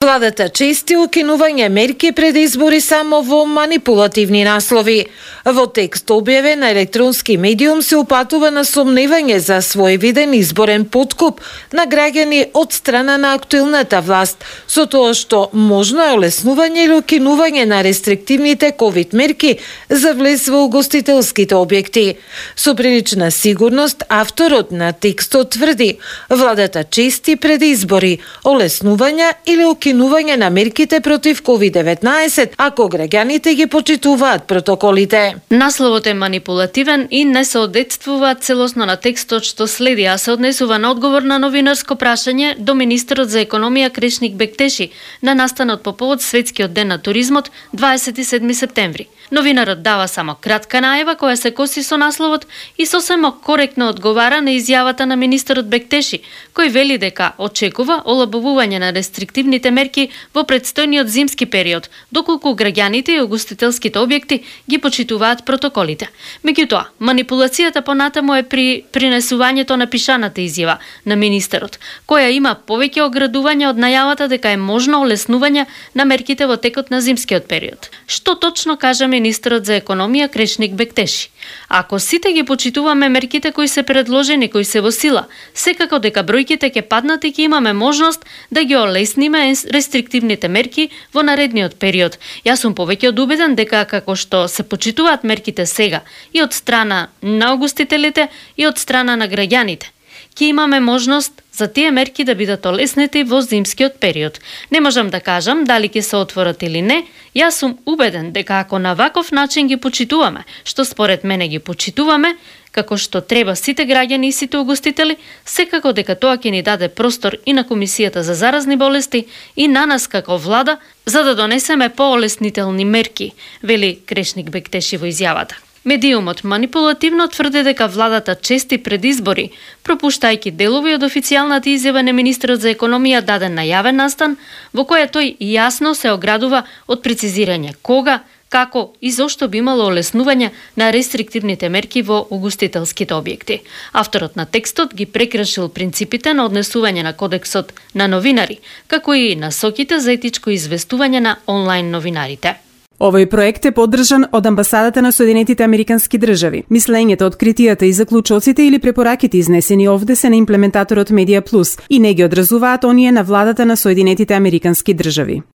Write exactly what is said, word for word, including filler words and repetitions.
Владата чести укинување мерки пред избори само во манипулативни наслови. Во текст објавен на електронски медиум се упатува на сомневање за своевиден изборен подкуп на граѓани од страна на актуелната власт, со тоа што можно е олеснување или укинување на рестриктивните ковид мерки за влез во угостителските објекти. Со прилична сигурност, авторот на текстот тврди, владата чести пред избори олеснувања или укинување укинување на мерките против ковид деветнаесет, ако граѓаните ги почитуваат протоколите. Насловот е манипулативен и не соодветствува целосно на текстот што следи, а се однесува на одговор на новинарско прашање до министерот за економија Крешник Бектеши на настанот по повод Светскиот ден на туризмот дваесет и седми септември. Новинарот дава само кратка најава која се коси со насловот и сосема коректно одговара на изјавата на министерот Бектеши, кој вели дека очекува олабавување на рестриктивните мерки во предстојниот зимски период, доколку граѓаните и угостителските објекти ги почитуваат протоколите. Меѓутоа, манипулацијата понатаму е при принесувањето на пишаната изјава на министерот, која има повеќе оградување од најавата дека е можно олеснување на мерките во текот на зимскиот период. Што точно кажа министерот за економија Крешник Бектеши? Ако сите ги почитуваме мерките кои се предложени, кои се во сила, секако дека бројките ќе паднат и ќе имаме можност да ги олесниме рестриктивните мерки во наредниот период. Јас сум повеќе од убеден дека како што се почитуваат мерките сега и од страна на угостителите и од страна на граѓаните, ќе имаме можност за тие мерки да бидат олеснети во зимскиот период. Не можам да кажам дали ќе се отворат или не. Јас сум убеден дека ако на ваков начин ги почитуваме, што според мене ги почитуваме, како што треба сите граѓани и сите угостители, секако дека тоа ќе ни даде простор и на Комисијата за заразни болести и на нас како влада, за да донесеме поолеснителни мерки, вели Крешник Бектеши во изјавата. Медиумот манипулативно тврди дека владата чести пред избори, пропуштајќи делови од официјалната изјава на министерот за економија даден на јавен настан, во која тој јасно се оградува од прецизирање кога, како и зошто би имало олеснување на рестриктивните мерки во угостителските објекти. Авторот на текстот ги прекршил принципите на однесување на кодексот на новинари, како и насоките за етичко известување на онлайн новинарите. Овој проект е поддржан од Амбасадата на Соединетите Американски држави. Мислењето, откритијата и заклучоците или препораките изнесени овде се на имплементаторот Медија Плюс и не ги одразуваат оние на владата на Соединетите Американски држави.